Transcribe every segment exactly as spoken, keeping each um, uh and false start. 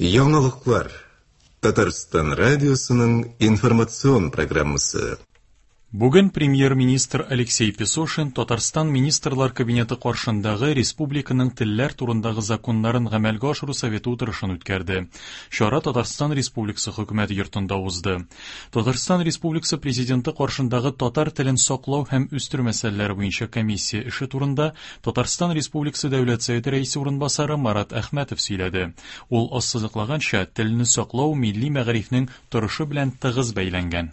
Яңалыклар. Татарстан радиосының информацион программасы. Бүген премьер-министр Алексей Песошин Татарстан Министрлар Кабинеты каршындагы республиканың телләр турындагы законнарын гамәлгә ашыру советы утырышын үткәрде. Чара Татарстан Республикасы хөкүмәте йортында узды. Татарстан Республикасы Президенты каршындагы татар телен саклау һәм үстерү мәсьәләләре буенча комиссия эше турында Татарстан Республикасы Дәүләт Советы рәисе урынбасары Марат Әхмәтов сөйләде. Ул ассызыклаганча, телне саклау милли мәгарифнең торышы белән тыгыз бәйләнгән.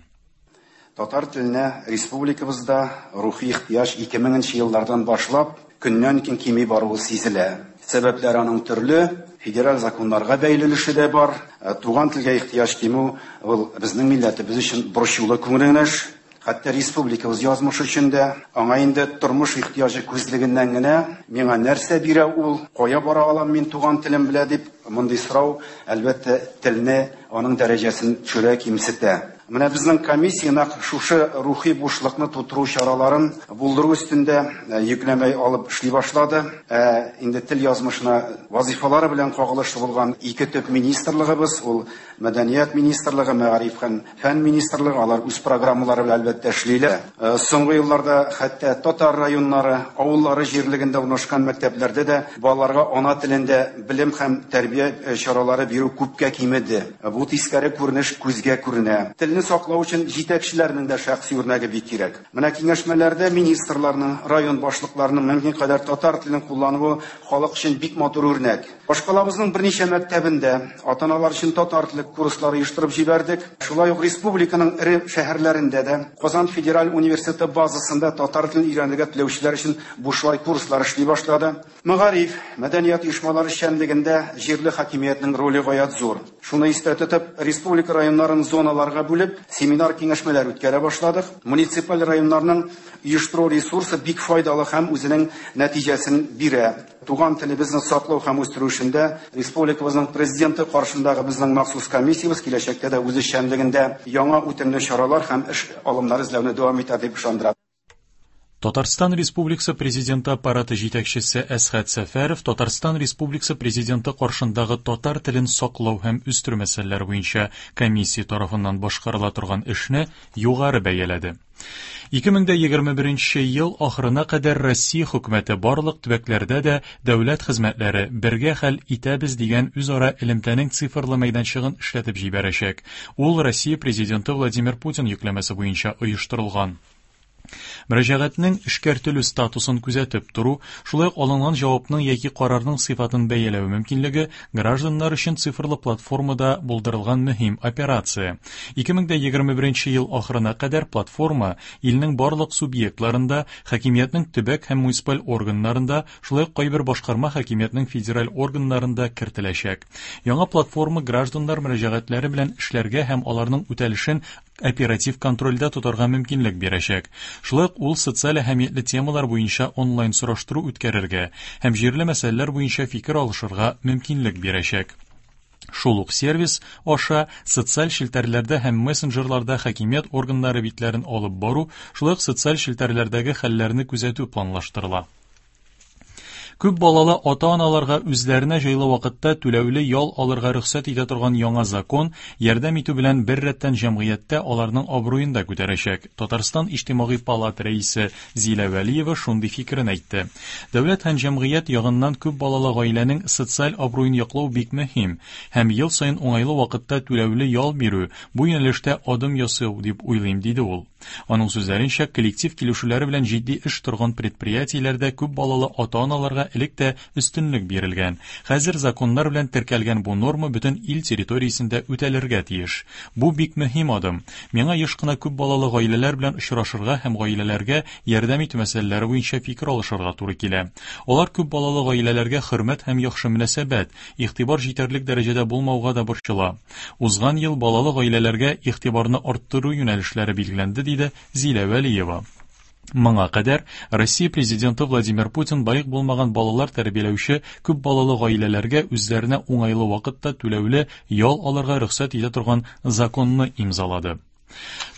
Татар теленә республикабызда рухи ихтыяҗ ике меңенче еллардан башлап көннән көн кими баруы сизелә. Сәбәпләр аның төрле, федераль законнарга бәйле өлеше дә бар. Туган телгә ихтыяҗ кимү ул безнең милләтебез өчен борчулы күренеш. Хәтта республикабыз язмышы өчен дә аңа инде тормыш ихтыяҗы күзлегеннән генә миңа нәрсә бирә ул, кая бара алам мин туган телем белә дип мондый сорау әлбәттә телне аның дәрәҗәсен төшерә, кимсетә. Менә безнең комиссия нәкъ шушы рухи бушлыкны тутыру чараларын булдыру өстендә йөкләмә алып эшли башлады. Ә инде тел язмышына вазифалары белән кагылышлы булган ике төп министрлыгыбыз, ул Мәдәният министрлыгы, Мәгариф һәм фән министрлыгы, алар үз программалары белән әлбәттә эшлиләр. Соңгы елларда хәтта татар районнары, авыллары җирлегендә урнашкан мәктәпләрдә дә балаларга ана телендә белем һәм тәрбия чаралары бирү күпкә кимеде. Бу тискәре күренеш күзгә күренә. Телне саклау өчен җитәкчеләрнең дә шәхси үрнәге бик кирәк. Менә киңәшмәләрдә министрларның, район башлыкларының мөмкин кадәр татар телен куллануы халык өчен бик матур үрнәк. Башкалабызның берничә мәктәбендә ата-аналар өчен татар теле курслары оештырып җибәрдек. Шулай ук республиканың эре шәһәрләрендә дә Казан федераль университеты базасында татар телен өйрәнергә теләүчеләр өчен бушлай курслар эшли башлады. Мәгариф, мәдәният оешмалары эшчәнлегендә җирле хакимиятнең роле гаять зур. Шуны истә тотып, республика районнарын зоналарга бүлеп, семинар киңәшмәләр үткәрә башладык. Муниципаль районнарның оештыру ресурсы бик файдалы һәм үзенең нәтиҗәсен бирә. Туган телебезне саклау һәм үстерү эшендә республикабызның президенты каршындагы безнең махсус комиссиябез киләчәктә дә үз эшчәнлегендә яңа үтемле чаралар һәм эш алымнары эзләүне дәвам итәр дип ышандыра. Татарстан Республикасы Президенты аппараты җитәкчесе Әсхәт Сәфәров Татарстан Республикасы Президенты каршындагы татар телен саклау һәм үстерү мәсьәләләре буенча комиссия тарафыннан башкарыла торган эшне югары бәяләде. ике мең егерме беренче ел ахырына кадәр Россия хөкүмәте барлык төбәкләрдә дә дәүләт хезмәтләре бергә хәл итәбез дигән үзара элемтәнең цифрлы мәйданчыгын эшләтеп җибәрәчәк. Ул Россия Президенты Владимир Путин йөкләмәсе буенча оештырылган. Мөрәҗәгатьнең эшкәртелү статусын күзәтеп тору, шулай ук алынган җавапның яки карарның сыйфатын бәяләү мөмкинлеге гражданнар өчен цифрлы платформада булдырылган мөһим операция. ике мең егерме беренче ел ахырына кадәр платформа илнең барлык субъектларында, хакимиятнең төбәк һәм муниципаль органнарында, шулай ук кайбер башкарма хакимиятнең федераль органнарында кертеләчәк. Яңа платформа гражданнар мөрәҗәгатьләре белән эшләргә һәм аларның үтәлешен оператив контрольдә тотарга мөмкинлек бирәчәк. Шулай ук ул социаль әһәмиятле темалар буенча онлайн сораштыру үткәрергә һәм җирле мәсьәләләр буенча фикер алышырга мөмкинлек бирәчәк. Шул ук сервис аша социаль челтәрләрдә һәм мессенджерларда хакимият органнары битләрен алып бару, шулай ук социаль челтәрләрдәге хәлләрне күзәтү планлаштырыла. Күп балалы ата-аналарга үзләренә җайлы вакытта түләүле ял алырга рөхсәт итә торган яңа закон ярдәм итү белән бер рәттән җәмгыятьтә аларның абруен да күтәрәчәк. Татарстан Иҗтимагый палата рәисе Зилә Вәлиева шундый фикерен әйтте. Дәүләт һәм җәмгыять ягыннан күп балалы гаиләнең социаль абруен яклау бик мөһим һәм ел саен уңайлы вакытта түләүле ял бирү бу юнәлештә адым ясау дип уйлыйм, диде ул. Аның сүзләренчә, коллектив килешүләре белән җитди эш торган предприятиеләрдә күп балалы ата-аналарга элек тә өстенлек бирелгән. Хәзер законнар белән теркәлгән бу норма бөтен ил территориясендә үтәлергә тиеш. Бу бик мөһим адым. Миңа еш кына күп балалы гаиләләр белән очрашырга һәм гаиләләргә ярдәм итү мәсьәләләре буенча фикер алышырга туры килә. Алар күп балалы гаиләләргә хөрмәт һәм яхшы мөнәсәбәт, игътибар җитәрлек дәрәҗәдә булмауга да борчыла. Узган ел балалы гаиләләргә игътибарны арттыру юнәлешләре билгеләнде, диде Зилә Вәлиева. Моңа кадәр Россия Президенты Владимир Путин балигъ булмаган балалар тәрбияләүче күп балалы гаиләләргә үзләренә уңайлы вакытта түләүле ял алырга рөхсәт итә торган законны имзалады.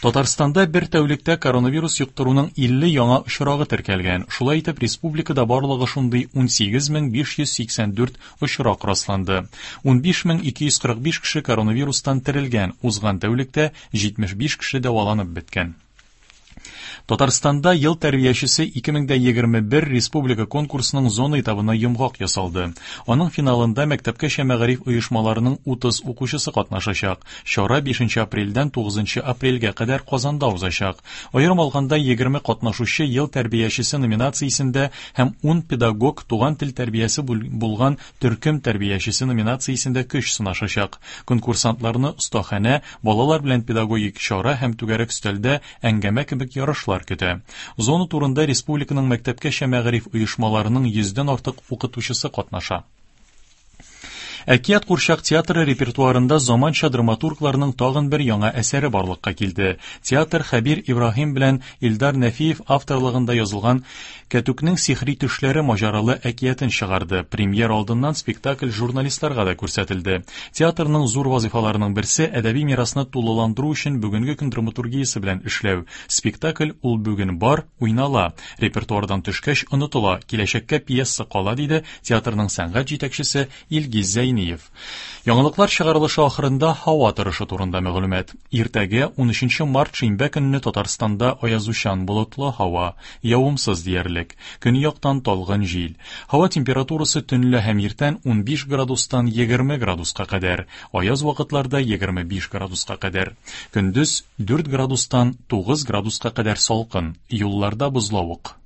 Татарстанда бер тәүлектә коронавирус йоктыруның илле яңа очрагы теркәлгән. Шулай итеп, республикада барлыгы шундый ун сигез мең биш йөз сиксән дүрт очрак расланды. ун биш мең ике йөз кырык биш кеше коронавирустан терелгән. Узган тәүлектә җитмеш биш кеше дәваланып беткән. Татарстанда ел тәрбиячесе ике мең дә егерме бер республика конкурсының зона этабына йомгак ясалды. Аның финалында мәктәпкәчә мәгариф оешмаларының утыз укучысы катнашачак. Чара бишенче апрельдән тугызынчы апрельгә кадәр Казанда узачак. Аерым алганда егерме катнашучы ел тәрбиячесе номинациясендә һәм ун педагог туган тел тәрбиясе булган төркем тәрбиячесе номинациясендә көч сынашачак. Конкурсантларны остаханә, балалар белән педагогик чара һәм түгәрәк өстәлдә әңгәмә кебек ярышлар көтә. Зона турында республиканың мәктәпкәчә мәгариф оешмаларының йөздән артык укытучысы катнаша. Әкият курчак театры репертуарында заманча драматургларның тагын бер яңа әсәре барлыкка килде. Театр Хәбир Ибраһим белән Илдар Нәфиев авторлыгында язылган Кәтүкнең сихри төшләре маҗаралы әкиятен чыгарды. Премьер алдыннан спектакль журналистларга да күрсәтелде. Театрның зур вазифаларының берсе әдәби мирасны тулыландыру өчен бүгенге көн драматургиясе белән эшләү. Спектакль ул бүген бар, уйнала. Репертуардан төшкәч онытыла, киләчәккә пьеса кала, диде театрның сәнгать җитәкчесе Илгиз Зәйниев. Яңалыклар чыгарылышы ахырында һава торышы турында мәгълүмат. Иртәгә ун өченче март шимбә көнне Татарстанда аязучан болытлы һава, явымсыз диярлек. Көньяктан талгын җил. Һава температурасы төнлә һәм иртән ун биш градустан егерме градуска кадәр, аяз вакытларда егерме биш градуска кадәр. Көндез дүрт градустан тугыз градуска кадәр салкын, юлларда бозлавык.